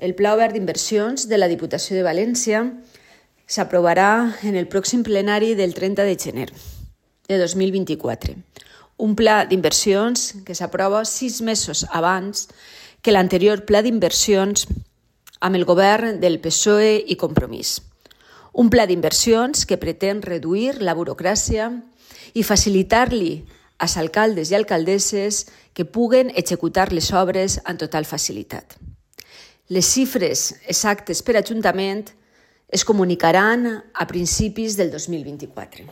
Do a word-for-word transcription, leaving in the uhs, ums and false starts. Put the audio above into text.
El Pla Obert d'Inversions de la Diputació de València s'aprovarà en el pròxim plenari del trenta de gener de dos mil vint-i-quatre. Un pla d'inversions que s'aprova sis mesos abans que l'anterior pla d'inversions amb el govern del P S O E i Compromís. Un pla d'inversions que pretén reduir la burocràcia i facilitar-li als alcaldes i alcaldesses que puguen executar les obres amb total facilitat. Les xifres exactes per ajuntament es comunicaran a principis del dos mil vint-i-quatre.